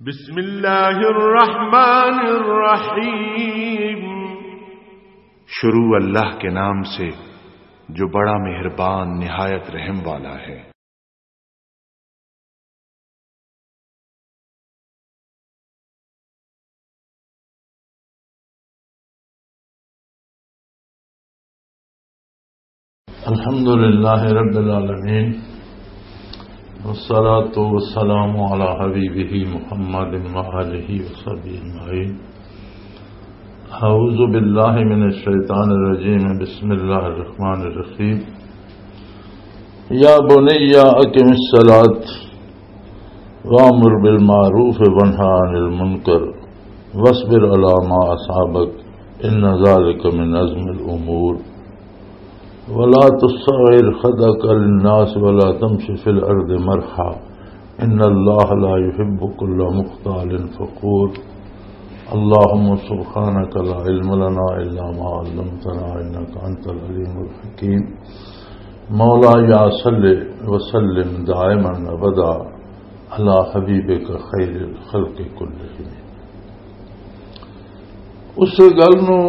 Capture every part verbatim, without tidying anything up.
بسم اللہ الرحمن الرحیم۔ شروع اللہ کے نام سے، جو بڑا مہربان، نہایت رحم والا ہے۔ الحمد لله رب العالمين، والصلاة والسلام على حبيبه محمد وآله وصحبه أجمعين. أعوذ بالله من الشيطان الرجيم. بسم الله الرحمن الرحيم. يا بني أقم الصلاة وأمر بالمعروف وانه عن المنكر واصبر على ما أصابك إن ذلك من عزم الأمور. ولا تصعر خدك للناس ولا تمش في الأرض مرحا إن الله لا يحب كل مختال فخور. اللهم سبحانك لا علم لنا إلا ما علمتنا إنك أنت العليم الحكيم. مولاي صل وسلم دائما أبدا على حبيبك خير الخلق كلهم. اس گل نو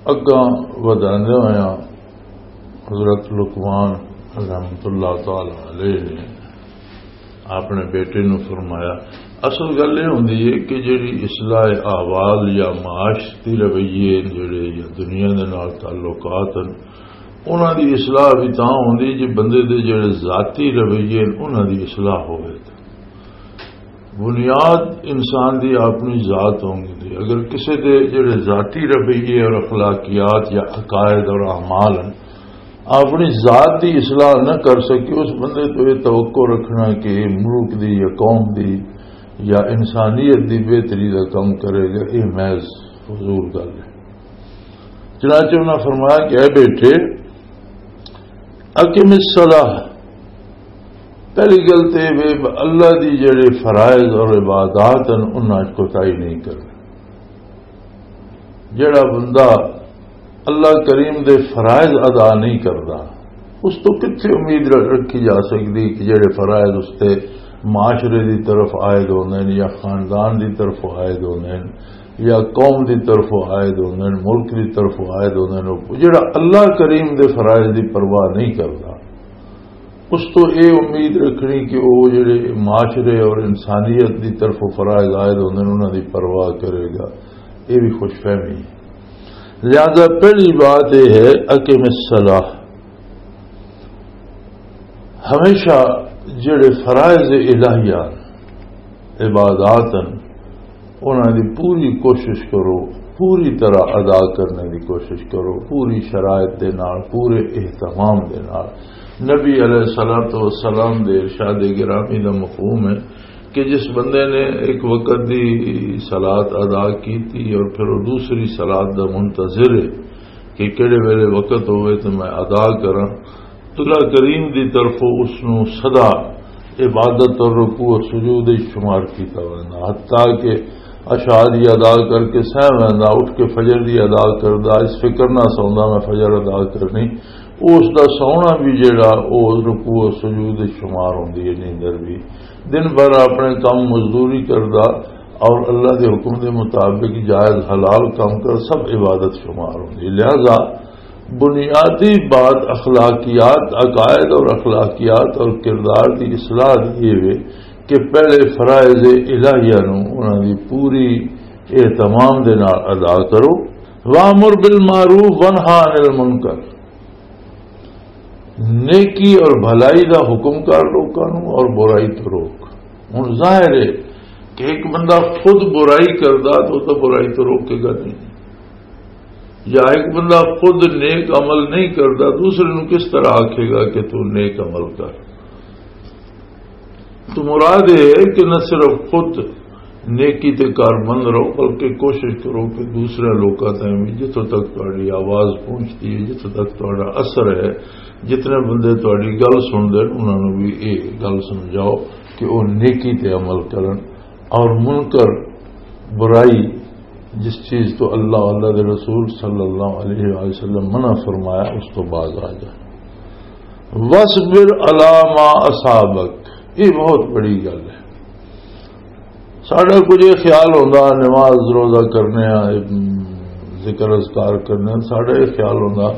اگاں ودھاندے ہویا حضرت لقمان رحمت اللہ تعالی علیہ نے اپنے بیٹے نو فرمایا، اصل گل یہ ہوندی ہے کہ جڑی اصلاح احوال یا معاشرتی رویے جڑے یا دنیا دے نال تعلقات ہیں، انہاں دی اصلاح بھی تاں ہوندی جے بندے دے جڑے ذاتی رویے ہیں، انہاں دی اصلاح ہوئے۔ بنیاد انسان دی اپنی ذات ہوندی ہے۔ اگر کسی دے جڑے ذاتی رویے اور اخلاقیات یا عقائد اور اعمال ہیں، اپنی ذات دی اصلاح نہ کر سکے، اس بندے تو یہ توقع رکھنا کہ یہ ملک دی یا قوم دی یا انسانیت دی بہتری دا کم کرے گا، یہ محض فضول گل ہے۔ چنانچہ انہاں فرمایا کہ اے بیٹے، اقم الصلاۃ، پہلی گل تے وے اللہ دی جڑے فرائض اور عبادات ہیں، انہاں وچ کوتاہی نہیں کرنا۔ جڑا بندہ اللہ کریم دے فرائض ادا نہیں کردا، اس تو کتھے امید ر-، رکھی جا سکدی کہ جڑے فرائض اس تے معاشرے دی طرف عائد ہوندے نے یا خاندان دی طرف عائد ہوندے نے یا قوم دی طرف عائد ہوندے نے، ملک دی طرف عائد ہوندے نے، جڑا اللہ کریم دے فرائض دی پرواہ نہیں کردا، اس تو اے امید رکھنی کہ او جڑے معاشرے اور انسانیت دی طرف فرائض عائد ہوندے نے، انہاں دی پرواہ کرے گا، اے بھی خوش فہمی ہے۔ لہذا پہلی بات اے ہے، اقم الصلاۃ، ہمیشہ جڑے فرائض الہیہ، عبادات ہیں، انہاں دی پوری کوشش کرو، پوری طرح ادا کرنے دی کوشش کرو، پوری شرائط دے نال، پورے اہتمام دے نال۔ نبی علیہ الصلوۃ والسلام دے ارشاد گرامی دا مفہوم ہے کہ جس بندے نے ایک وقت دی صلات ادا کیتی اور پھر وہ دوسری صلات دا منتظر ہے کہ کہڑے ویلے وقت ہوئے تو میں ادا کراں، اللہ کریم دی طرفوں اس نو سدا عبادت اور رکوع اور سجود وچ شمار کیتا ویندا، حتیٰ کہ عشاء دی ادا کر کے سہ ویندا، اٹھ کے فجر دی ادا کردا، اس فکر نہ سوندا میں فجر ادا کرنی۔ او اس دا سونا بھی جڑا، او رکوع اور سجود وچ شمار ہوندی ہے، نیندر بھی۔ دن بھر اپنے کم مزدوری کردا اور اللہ دے حکم دے مطابق جائز حلال کام کر، سب عبادت شمار ہوندی ہے۔ لہذا بنیادی بات اخلاقیات، عقائد اور اخلاقیات اور کردار دی اصلاح دی یہ وے کہ پہلے فرائض الہیہ نو انہاں دی پوری اہتمام دے نال ادا کرو۔ وامر بالمعروف وانہا عن المنکر، نیکی اور بھلائی دا حکم کر لوکاں نو اور برائی تو روک۔ ہن ظاہر ہے کہ ایک بندہ خود برائی کردا تو وہ تو برائی تو روکے گا نہیں، یا ایک بندہ خود نیک عمل نہیں کردا، دوسرے نو کس طرح آکھے گا کہ تو نیک عمل کر؟ تو مراد یہ ہے کہ نہ صرف خود نیکی تے کاربند رہو، بلکہ کوشش کرو کہ دوسرے لوکاں تائیں بھی جتھوں تک تہاڈی آواز پہنچدی ہے، جتھوں تک تہاڈا اثر ہے، جتنے بندے تہاڈی گل سنتے ہیں، انہاں نوں بھی یہ گل سمجھاؤ کہ وہ نیکی تے عمل کرن، اور منکر، برائی، جس چیز تو اللہ، اللہ دے رسول صلی اللہ علیہ وآلہ وسلم منع فرمایا، اس تو باز آ جائے۔ وَاصْبِرْ عَلَىٰ مَا أَصَابَكَ، یہ بہت بڑی گل ہے۔ ساڈا کچھ یہ خیال ہوندا، نماز روزہ کرنے آ، ذکر اذکار کرنے آ، ساڈا یہ خیال ہوندا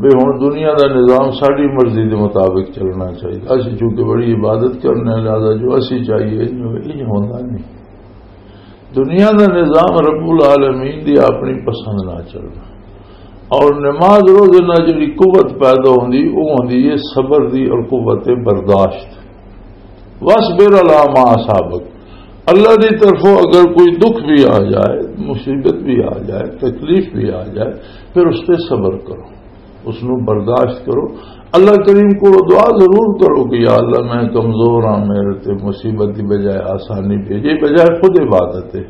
بھی ہن دنیا دا نظام ساڈی مرضی دے مطابق چلنا چاہیے۔ اسی چونکہ بڑی عبادت کرنے آ، لہذا جو اسی چاہیے، انج ہوندا نہیں۔ دنیا دا نظام رب العالمین دی اپنی پسند نہ چلنا۔ اور نماز روزے نال جڑی قوت پیدا ہوندی، وہ ہوندی ہے صبر دی اور قوت برداشت۔ واصبر علی ما اصابک۔ اللہ دی طرفوں اگر کوئی دکھ بھی آ جائے، مصیبت بھی آ جائے، تکلیف بھی آ جائے، پھر اس تے صبر کرو، اس نو برداشت کرو۔ اللہ کریم کو دعا ضرور کرو کہ یا اللہ، میں کمزور ہاں، میرے تے مصیبت دی بجائے آسانی بھیجے، بجائے خود عبادت ہے۔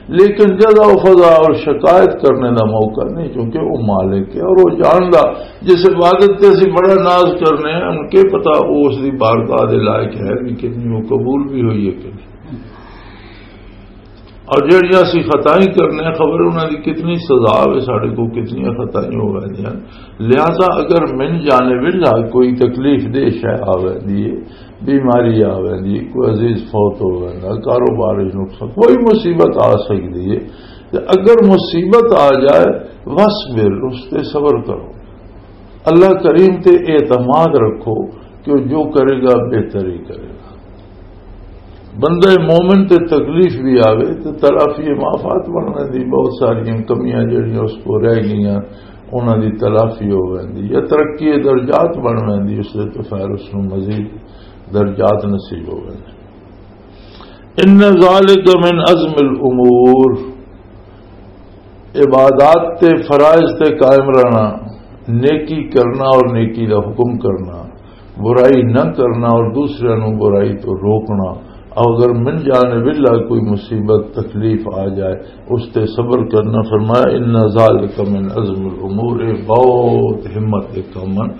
لیکن جزا و فضا اور شکایت کرنے دا موقع نہیں، کیونکہ وہ مالک ہے اور وہ جاندا۔ جس عبادت تے اسی بڑا ناز کرنے ہیں، ان کے پتا وہ اس دی بارگاہ دے لائق ہے بھی کہ نہیں، وہ قبول بھی ہوئی ہے کہ نہیں۔ اور جڑیاں اسی خطائیں کرنے ہیں، خبر انہاں دی کتنی سزا ہوئے، ساڈے کو کتنی خطائیں ہو رہی ہیں۔ لہذا اگر من جانب اللہ کوئی تکلیف دہ شے آ ویندی ہے، بیماری آ ویندی، کوئی عزیز فوت ہو ویندا، کاروبار وچ نقصان، کوئی مصیبت آ سکدی ہے، تے اگر مصیبت آ جائے، واصبر، اس تے صبر کرو، اللہ کریم تے اعتماد رکھو کہ وہ جو کرے گا بہتر ہی کرے گا۔ بندہ مومن تے تکلیف بھی آوے تے تلافی مافات بن ویندی، بہت ساریاں کمیاں جڑیاں اس کو رہ گئیاں، انہاں دی تلافی ہو ویندی یا ترقی درجات بن ویندی، اس دے تو خیر اس نوں مزید درجات نصیب ہو ویندے۔ ان ذالک من عزم الامور، عبادات تے فرائض تے قائم رہنا، نیکی کرنا اور نیکی دا حکم کرنا، برائی نہ کرنا اور دوسرے نوں برائی تو روکنا۔ اگر من جانب اللہ کوئی مصیبت تکلیف آ جائے، اس تے صبر کرنا۔ فرمایا، ان ذالک من عزم الامور، یہ بہت ہمت دے کم ہن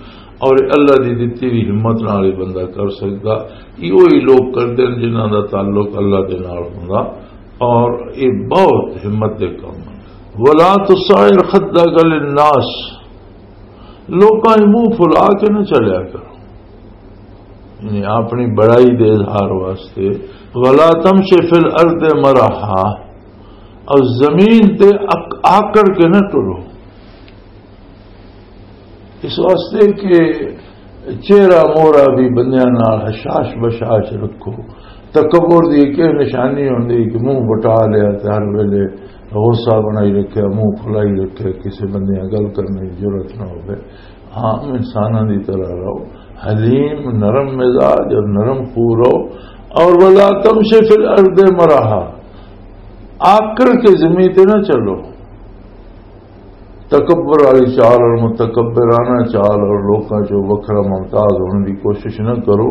اور اللہ دی دتی ہوئی ہمت نال ہی بندہ کر سکدا۔ ایہو ہی لوگ کردے نے جنہاں دا تعلق اللہ دے نال ہوندا، اور یہ بہت ہمت دے کم ہن۔ ولا تصعر خدک للناس، لوکاں دے منہ پھلا کے نہ چلیا کرو، یعنی اپنی بڑائی دے اظہار واسطے۔ ولا تمش فی الارض مرحا، اور زمین تے اک-، آکڑ کے نہ ٹرو۔ اس واسطے کہ چہرہ مورا بھی بندیاں نال حشاش بشاش رکھو۔ تکبر دی ایک یہ نشانی ہوندی کہ منہ بٹا لیا تے ہر ویلے غصہ بنائی رکھیا، منہ پھلائی رکھیا، کسے بندے نال گل کرنے دی جرات نہ ہوے۔ عام انساناں دی طرح رہو، حلیم، نرم مزاج اور نرم خو رہو۔ اور ولا تمش فی الارض مرحا، آکڑ کے زمین تے نہ چلو۔ تکبر والی چال اور متکبرانہ چال اور لوکاں چوں وکھرا ممتاز ہونے دی کوشش نہ کرو۔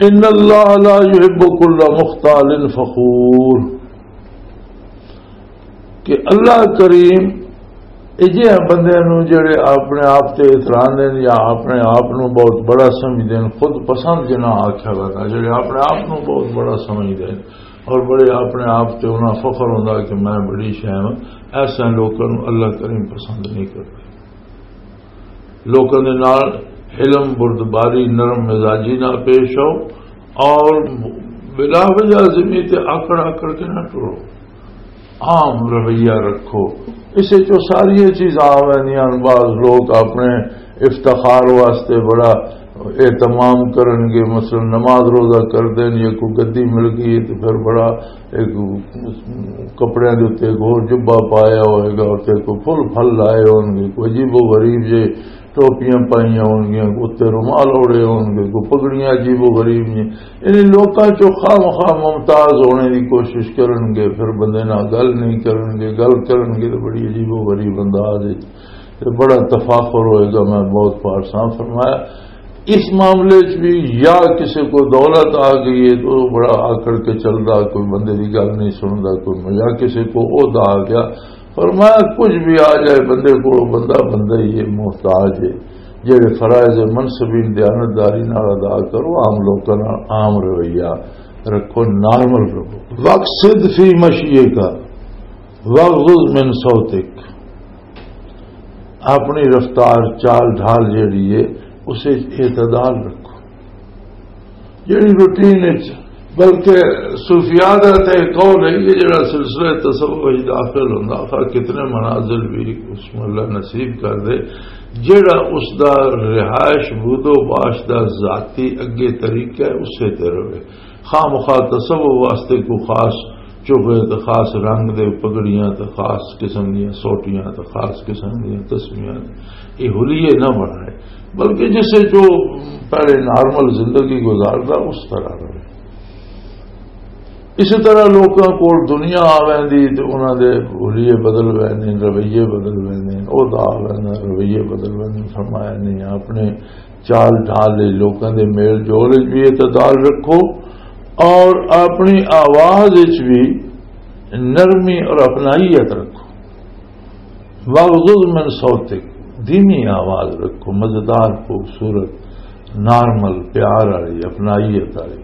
ان اللہ لا یحب کل مختال فخور، کہ اللہ کریم اجہے بندے نوں جڑے اپنے آپ تے اتراندے نے یا اپنے آپ نوں بہت بڑا سمجھدے نے، خود پسند جنہاں آکھیا وینا، جڑے اپنے آپ نوں بہت بڑا سمجھدے نے، اور بڑے اپنے آپ تے انہاں فخر ہوندا کہ میں بڑی شے ہاں، ایسے لوکاں نوں اللہ کریم پسند نہیں کردا۔ لوکاں دے نال حلم، بردباری، نرم مزاجی نال پیش آؤ، اور بلا وجہ زمین تے آکڑ آکڑ کے نہ ٹرو، عام رویہ رکھو۔ اس وچ ساری چیزاں آ ویندیاں۔ بعض لوگ اپنے افتخار واسطے بڑا اہتمام کرن گے، مثلاً نماز روزہ کر دین یا کوئی گدی مل گئی ہے تو پھر بڑا ایک کپڑیاں دے اُتے ایک ہور جبہ پایا ہوئے گا، اُتے کوئی پھل پھل لائے ہون گے، کوئی عجیب و غریب جے ٹوپیاں پائیاں ہون گیاں، کوئی اُتے رومال اوڑے ہون گے، کوئی پگڑیاں عجیب و غریب جے۔ یعنی لوکاں چوں خواہ مخواہ ممتاز ہونے دی کوشش کرن گے، پھر بندے نال گل نہیں کرن گے، گل کرن گے تو بڑی عجیب و غریب انداز وچ۔ تے بڑا تفاخر ہوئے گا۔ میں بہت پارساں فرمایا، اس معاملے چ بھی یا کسی کو دولت آ گئی ہے تو وہ بڑا آکڑ کے چلدا، کوئی بندے دی گل نہیں سندا، کوئی، یا کسی کو عہدہ آ گیا۔ فرمایا، کچھ بھی آ جائے بندے کو، بندہ بندہ ہی ہے، محتاج ہے۔ جڑے فرائض منصبین دیانتداری نال ادا کرو، عام لوکاں نال عام رویہ رکھو، نارمل رہو۔ واقصد فی مشیک، واغضض من صوتک، اپنی رفتار، چال ڈھال جیڑی ہے، اسے اعتدال رکھو۔ جیڑی روٹین وچ بلکہ صوفیاء دا تے قول ہے کہ جڑا سلسلہ تصوف وچ داخل ہوندا، خواہ کتنے منازل بھی اس میں اللہ نصیب کر دے، جڑا اس دا رہائش بود و باش دا ذاتی اگے طریقہ ہے، اسے تے رہے۔ خواہ مخواہ تصوف واسطے کو خاص چوبے تے خاص رنگ دے پگڑیاں تے خاص قسم دیاں سوٹیاں تے خاص قسم دیاں تسمیاں، یہ حلیے نہ بنائے، بلکہ جسے جو پہلے نارمل زندگی گزاردا، اس طرح رہے۔ اسی طرح لوکاں کول دنیا آ ویندی تے انہاں دے حلیے بدل ویندے، رویے بدل ویندے، عہدہ آ ویندا، رویے بدل ویندے۔ فرمایا نہیں، اپنے چال ڈھال وچ لوکاں دے میل جول وچ بھی اعتدال رکھو اور اپنی آواز وچ بھی نرمی اور اپنائیت رکھو۔ واغضض من صوتک، دھیمی آواز رکھو، مزیدار، خوبصورت، نارمل، پیار والی، اپنائیت والی۔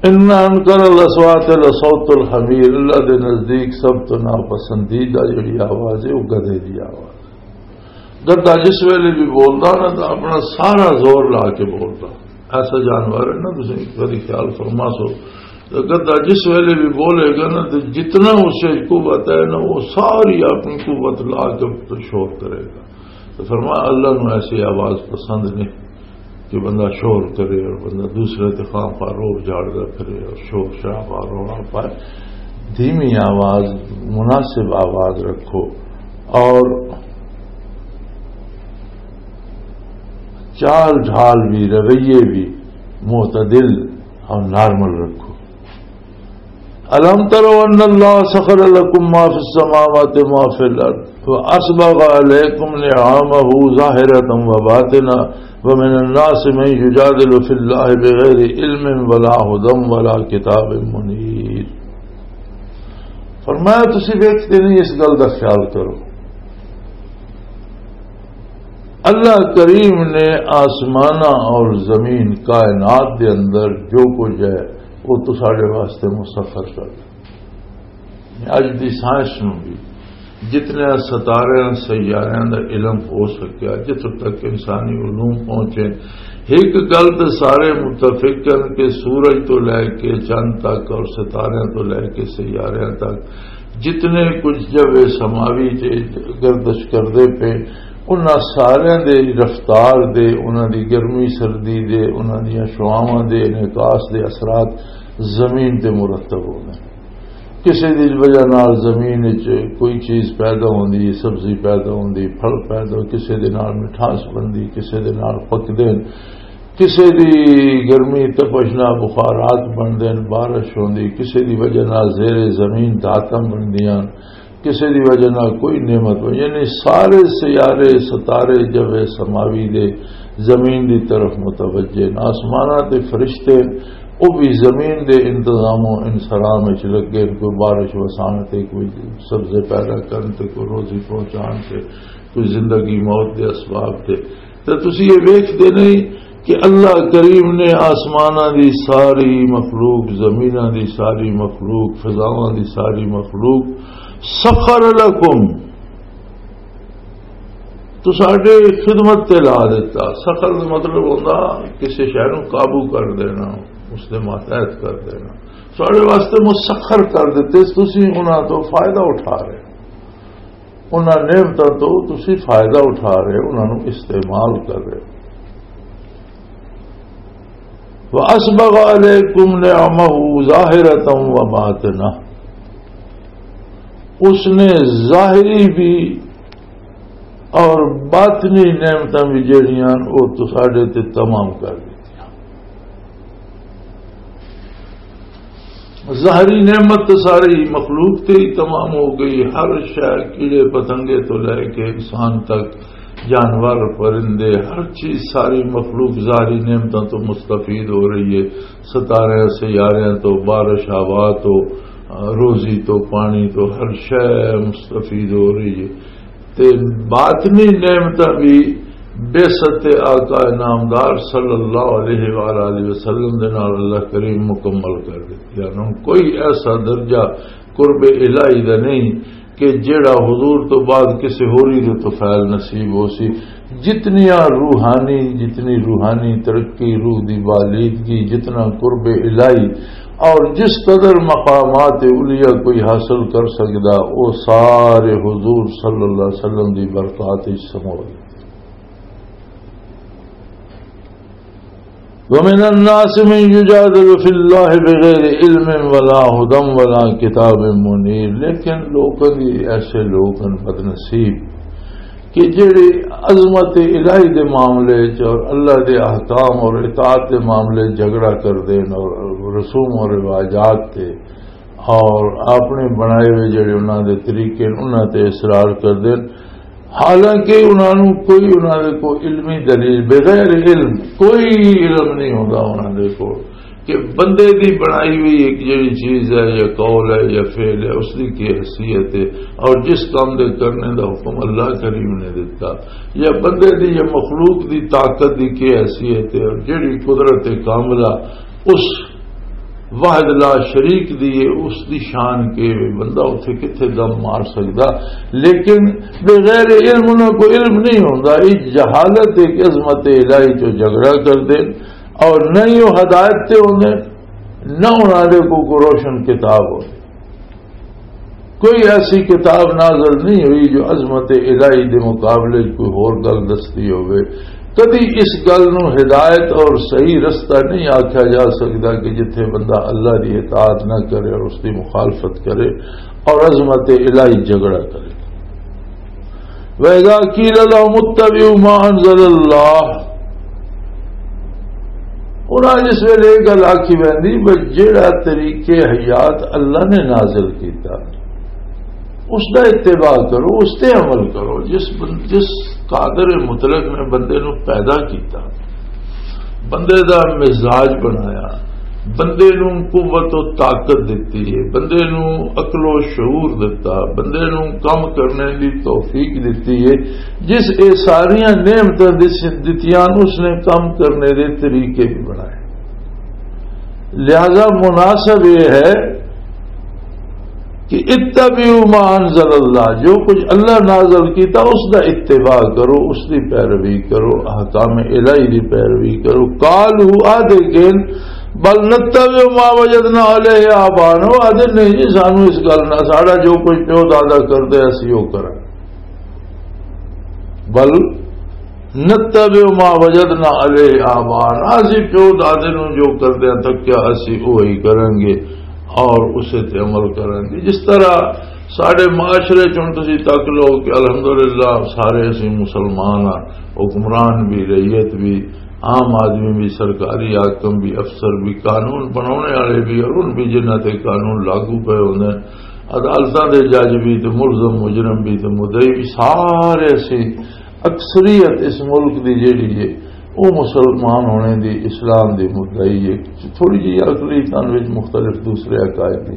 ان انکر الاصوات لصوت الحمیر، اللہ دے نزدیک سب تو ناپسندیدہ جڑی آواز ہے، وہ گدھے دی آواز۔ گدا جس ویلے بھی بولدا نا، تو اپنا سارا زور لا کے بولدا۔ ایسا جانور ہے نا، تسی کدی خیال فرما سو، تو گدا جس ویلے بھی بولے گا نا، تو جتنا اس وچ قوت ہے نا، وہ ساری اپنی قوت لا کے تو شور کرے گا۔ تو فرمایا، اللہ نو ایسی آواز پسند نہیں کہ بندہ شور کرے اور بندہ دوسرے تے خواہ خواہ روب جھاڑدا پھرے اور شور شرابہ رولا پائے۔ دھیمی آواز، مناسب آواز رکھو اور چال ڈھال بھی، رویے بھی معتدل اور نارمل رکھو۔ الم تروا ان اللہ سخر لکم ما فی السماوات وما فی الارض واسبغ علیکم نعمہ ظاہرۃ وباطنہ ومن الناس من یجادل فی اللہ بغیر علم ولا ہدی ولا کتاب منیر۔ فرمایا، تسی ویکھتے نہیں، اس گل دا خیال کرو۔ اللہ کریم نے آسماناں اور زمین، کائنات دے اندر جو کچھ ہے، وہ تو ساڈے واسطے مسخر کر دتا۔ اج دی سائنس نوں بھی جتنے ستاریاں، سیاریاں دا علم ہو سکیا، جتھوں تک انسانی علوم پہنچے، ایک گل تے سارے متفق ہن کہ سورج تو لے کے چند تک اور ستاریاں تو لے کے سیاریاں تک جتنے کچھ جو سماوی چ گردش کردے پے، انہاں سارے دے رفتار دے، انہاں دی گرمی سردی دے، انہاں دیاں شعاواں دے انعکاس دے اثرات زمین تے مرتب ہوندے۔ کسے دی وجہ نال زمین وچ کوئی چیز پیدا ہوندی، سبزی پیدا ہوندی، پھل پیدا، کسے دے نال مٹھاس بندی، کسے دے نال پکدے، کسے دی گرمی تپش نال بخارات بندے، بارش ہوندی، کسے دی وجہ نال زیر زمین دھاتاں بندیاں، کسے دی وجہ نال کوئی نعمت ہو، یعنی سارے سیارے، ستارے، جو ہے سماوی دے زمین دی طرف متوجہ نے۔ آسماناں تے فرشتے، او بھی زمین دے انتظام و انسرام وچ لگے، کوئی بارش وسان تے، کوئی سبزے پیدا کرن تے، کوئی روزی پہنچان تے، کوئی زندگی موت دے اسباب تے۔ تے تسی یہ ویکھدے نہیں کہ اللہ کریم نے آسماناں دی ساری مخلوق، زمیناں دی ساری مخلوق، فضاواں دی ساری مخلوق سخر لکم، تو ساڈے خدمت تے لا دیتا۔ سخر دا مطلب ہوندا کسی شے نوں قابو کر دینا، اس دے ماتحت کر دینا۔ ساڈے واسطے مسخر کر دیتے، تسی انہاں تو فائدہ اٹھا رہے ہو۔ انہاں نعمتاں تو تسی فائدہ اٹھا رہے ہو، انہاں نوں استعمال کر رہے ہو۔ وَأَسْبَغَ عَلَيْكُمْ نِعَمَهُ ظَاهِرَةً وَبَاطِنَةً، اس نے ظاہری بھی اور باطنی نعمتاں بھی جڑیاں، وہ تو ساڈے تے تمام کر دتیاں۔ ظاہری نعمت تے ساری مخلوق تے ہی تمام ہو گئی۔ ہر شے، کیڑے پتنگے تو لے کے انسان تک، جانور، پرندے، ہر چیز، ساری مخلوق ظاہری نعمتاں تو مستفید ہو رہی ہے۔ ستارے، سیارے تو، بارش، ہوا تو، روزی تو، پانی تو، ہر شے مستفید ہو رہی ہے۔ تے باطنی نعمتاں بھی بعثت آقا نامدار صلی اللہ علیہ وآلہ وسلم دے نال اللہ کریم مکمل کر دتی۔ یعنی ہن کوئی ایسا درجہ قرب الہی دا نہیں کہ جیڑا حضور تو بعد کسی ہوری دے تو فعل نصیب ہو سی۔ جتنیاں روحانی، جتنی روحانی ترقی، روح دی بالیدگی، جتنا قرب الہی اور جس قدر مقامات علیا کوئی حاصل کر سکدا، وہ سارے حضور صلی اللہ علیہ وسلم دی برکات وچ سمو گئے۔ وَمِنَ النَّاسِ مَن يُجَادِلُ فِي اللَّهِ بِغَيْرِ عِلْمٍ وَلَا هُدًى وَلَا كِتَابٍ مُنِيرٍ۔ لیکن لوکاں دی، ایسے لوگ ہن بدنصیب کہ جڑے عظمت الہی دے معاملے چ اور اللہ دے احکام اور اطاعت دے معاملے چ جھگڑا کر دین اور رسوم اور رواجات تے اور اپنے بنائے ہوئے جڑے انہاں دے طریقے نے، انہاں تے اصرار کر دین، حالانکہ انہاں نوں کوئی، انہاں دے کو علمی دلیل، بغیر علم کوئی علم نہیں ہوندا انہاں دے کو کہ بندے دی بنائی ہوئی ایک جڑی چیز ہے یا قول ہے یا فعل ہے، اس دی کی حیثیت ہے اور جس کام دے کرنے دا حکم اللہ کریم نے دتا، یا بندے دی یا مخلوق دی طاقت دی کی حیثیت ہے اور جڑی قدرت کاملہ اس واحد لا شریک دی ہے، اس دی شان کے وے، بندہ اتھے کتھے دم مار سکدا۔ لیکن بغیر علم انہاں کو علم نہیں ہوندا۔ یہ جہالت ایک عظمت الہی چو جھگڑا کر دے اور نہ ہی وہ ہدایت تے ہوندے، نہ انہاں دے کو، کو روشن کتاب ہوندے۔ کوئی ایسی کتاب نازل نہیں ہوئی جو عظمت الہی دے مقابلے چ کوئی ہور گل دستی ہوئے۔ کدی اس گل نو ہدایت اور صحیح رستہ نہیں آکھیا جا سکدا کہ جتھے بندہ اللہ دی اطاعت نہ کرے اور اس دی مخالفت کرے اور عظمت الہی جھگڑا کرے۔ وَإِذَا قِيلَ لَهُمُ اتَّبِعُوا مَا أَنزَلَ اللَّهُ، انہاں جس ویلے یہ گل آکھی ویندی، بس جیڑا طریقے حیات اللہ نے نازل کیتا، اس دا اتباع کرو، اس تے عمل کرو۔ جس بن-، جس قادر مطلق نے بندے نو پیدا کیتا، بندے دا مزاج بنایا، بندے نو قوت و طاقت دتی ہے، بندے نو عقل و شعور دتا، بندے نو کم کرنے دی توفیق دتی ہے، جس اے ساریاں نعمتاں دس-، دتیاں، اس نے کم کرنے دے طریقے بھی بنائے۔ لہذا مناسب یہ ہے کہ اتبعوا ما انزل اللہ، جو کچھ اللہ نازل کیتا اس دا اتباع کرو، اس دی پیروی کرو، احکام الہی دی پیروی کرو۔ قالوا، آدھے کہن، بل نتبع ما وجدنا علیہ آبانا، وہ آدھے نہیں جی، سانو اس گل نہ، ساڑا جو کچھ پیو دادا کردے اسی وہ کراں۔ بل نتبع ما وجدنا علیہ آبانا، اسی پیو دادے نوں جو کردے ہیں تکیا، اسی وہی کریں گے اور اسے تے عمل کریں گے۔ جس طرح ساڈے معاشرے چ ہن تسی تک لو کہ الحمدللہ سارے اسی مسلمان ہاں، حکمران بھی، رعیت بھی، عام آدمی بھی، سرکاری حاکم بھی، افسر بھی، قانون بنانے والے بھی اور ان بھی جنہاں تے قانون لاگو پے ہوندے ہیں، عدالتاں دے جج بھی تے ملزم مجرم بھی تے مدعی بھی، سارے اسی اکثریت اس ملک دی جیڑی ہے، وہ مسلمان ہونے دی، اسلام دی مدعی ہے۔ تھوڑی جی اقلیتاں وچ مختلف دوسرے عقائد دی،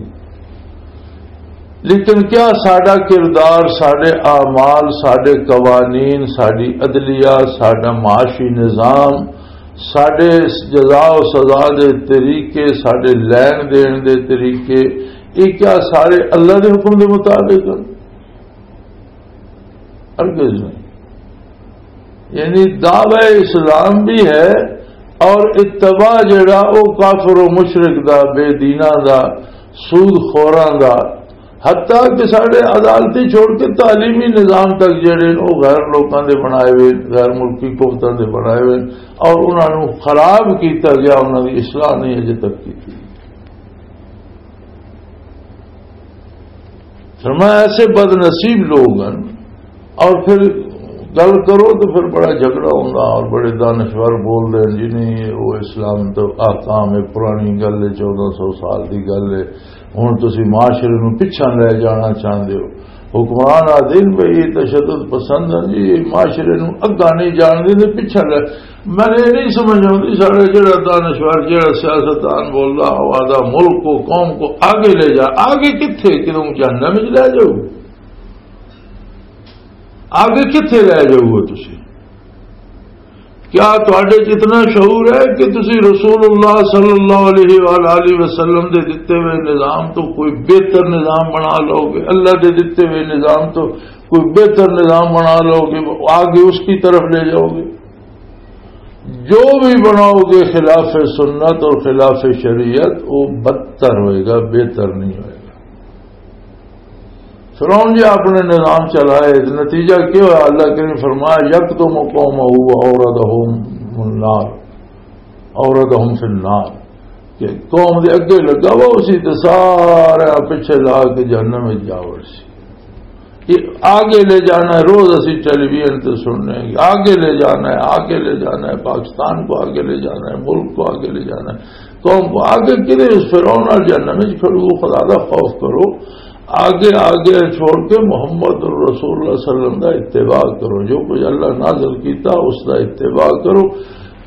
لیکن کیا ساڈا کردار، ساڈے اعمال، ساڈے قوانین، ساڈی عدلیہ، ساڈا معاشی نظام، ساڈے جزا و سزا دے طریقے، ساڈے لین دین دے طریقے، یہ کیا سارے اللہ دے حکم دے مطابق ہیں؟ ہرگز نہیں۔ یعنی دعوی اسلام بھی ہے اور اتباع جڑا، او کافر و مشرک دا، بے دیناں دا، سود خوراں دا، حتیٰ کہ ساڈے عدالتی چھوڑ کے تعلیمی نظام تک جڑے نے، او غیر لوکاں دے بنائے ہوئے، غیر ملکی قوتاں دے بنائے ہوئے، اور انہاں نوں خراب کیتا گیا، انہاں دی اصلاح نہیں اجے تک کیتی۔ فرمایا، ایسے بد نصیب لوگ ہیں۔ اور پھر گل کرو تو پھر بڑا جھگڑا ہوندا اور بڑے دانشور بول دے جی، نہیں، وہ اسلام تو احکام ہے، پرانی گل ہے، چودہ سو سال دی گل ہے۔ ہن تسی معاشرے نوں پچھاں لے جانا چاہندے ہو، حکمران آدھے نے بھئی یہ تشدد پسند ہیں جی، یہ معاشرے نوں اگاں نہیں جان دے، پچھاں لے۔ میں یہ نہیں سمجھ آتی، سارے جڑا دانشور، جڑا سیاستدان بولدا، وہ آدھا ملک کو، قوم کو آگے لے جا۔ آگے کتھے؟ کدوں جہنم وچ لے جاؤ؟ آگے کتھے لے جاؤ گے تسی؟ کیا تہاڈے 'چ اتنا شعور ہے کہ تسی رسول اللہ صلی اللہ علیہ وآلہ وسلم دے دتے ہوئے نظام تو کوئی بہتر نظام بنا لو گے؟ اللہ دے دتے ہوئے نظام تو کوئی بہتر نظام بنا لو گے، آگے اس کی طرف لے جاؤ گے؟ جو بھی بناؤ گے خلاف سنت اور خلاف شریعت، وہ بدتر ہوئے گا، بہتر نہیں ہوئے گا۔ فرعون جی اپنے نظام چلائے، نتیجہ کیا ہوا؟ اللہ کریم فرمایا، "یکتم قومہ و اوردہم النار، اوردہم فی النار۔" کہ قوم دے اگے لگا وا اسی تے سارا پیچھے لا کے جہنم وچ جا وڑسی۔ یہ آگے لے جانا ہے، روز اسی ٹیلی ویژن تے سننے ہیں، آگے لے جانا ہے، آگے لے جانا ہے، پاکستان کو آگے لے جانا ہے، ملک کو آگے لے جانا ہے، قوم کو آگے کدے اس فرعون نال جہنم وچ کھڑو، خدا دا خوف کرو۔ آگے، آگے چھوڑ کے محمد رسول اللہ صلی اللہ علیہ وسلم دا اتباع کرو۔ جو کچھ اللہ نازل کیتا، اس دا اتباع کرو۔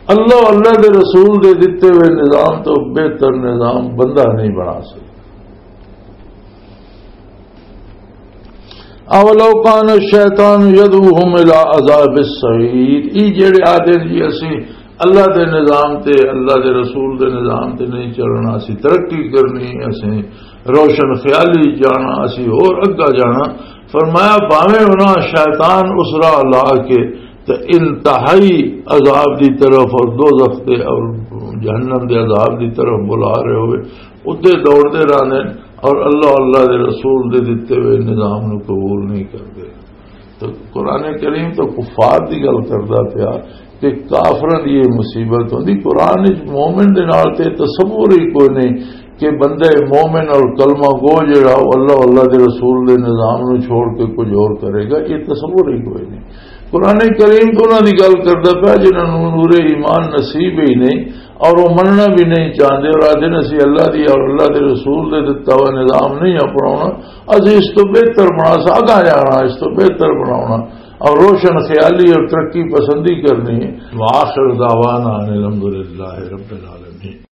اللہ، اللہ دے رسول دے دتے ہوئے نظام تو بہتر نظام بندہ نہیں بنا سکتا۔ اولو کان الشیطان یدعوہم الی عذاب السعیر۔ ای جڑے آدھے جی اسی اللہ دے نظام تے، اللہ دے رسول دے نظام تے نہیں چلنا، اسی ترقی کرنی، اسی روشن خیالی جانا، اسی اور اگا جانا۔ فرمایا، بھاویں انہاں شیطان اس راہ لا کے تے انتہائی عذاب دی طرف اور دوزخ دے اور جہنم دے عذاب دی طرف بلا رہے ہوئے، ادے دوڑ دے رہنے اور اللہ، اللہ دے رسول دے دتے ہوئے نظام نو قبول نہیں کردے۔ تو قرآن کریم تو کفار دی گل کردا پیا کہ کافراں دی یہ مصیبت ہوندی۔ قرآن وچ مومن دے نال تے تصور ہی کوئی نہیں کہ بندہ مومن اور کلمہ گو جڑا وہ اللہ، اللہ دے رسول دے نظام نو چھوڑ کے کچھ اور کرے گا، یہ تصور ہی کوئی نہیں۔ قرآن کریم تو انہاں دی گل کردا پیا جنہاں نوں نور ایمان نصیب ہی نہیں اور وہ مننا بھی نہیں چاہتے اور آدھے نے اسی اللہ دی اور اللہ دے رسول دے دتا ہوا نظام نہیں اپناونا، اسی اس تو بہتر بنا سا، اگاں جانا، اس تو بہتر بناونا اور روشن خیالی اور ترقی پسندی کرنی ہے۔ وآخر دعوانا ان الحمدللہ رب العالمین۔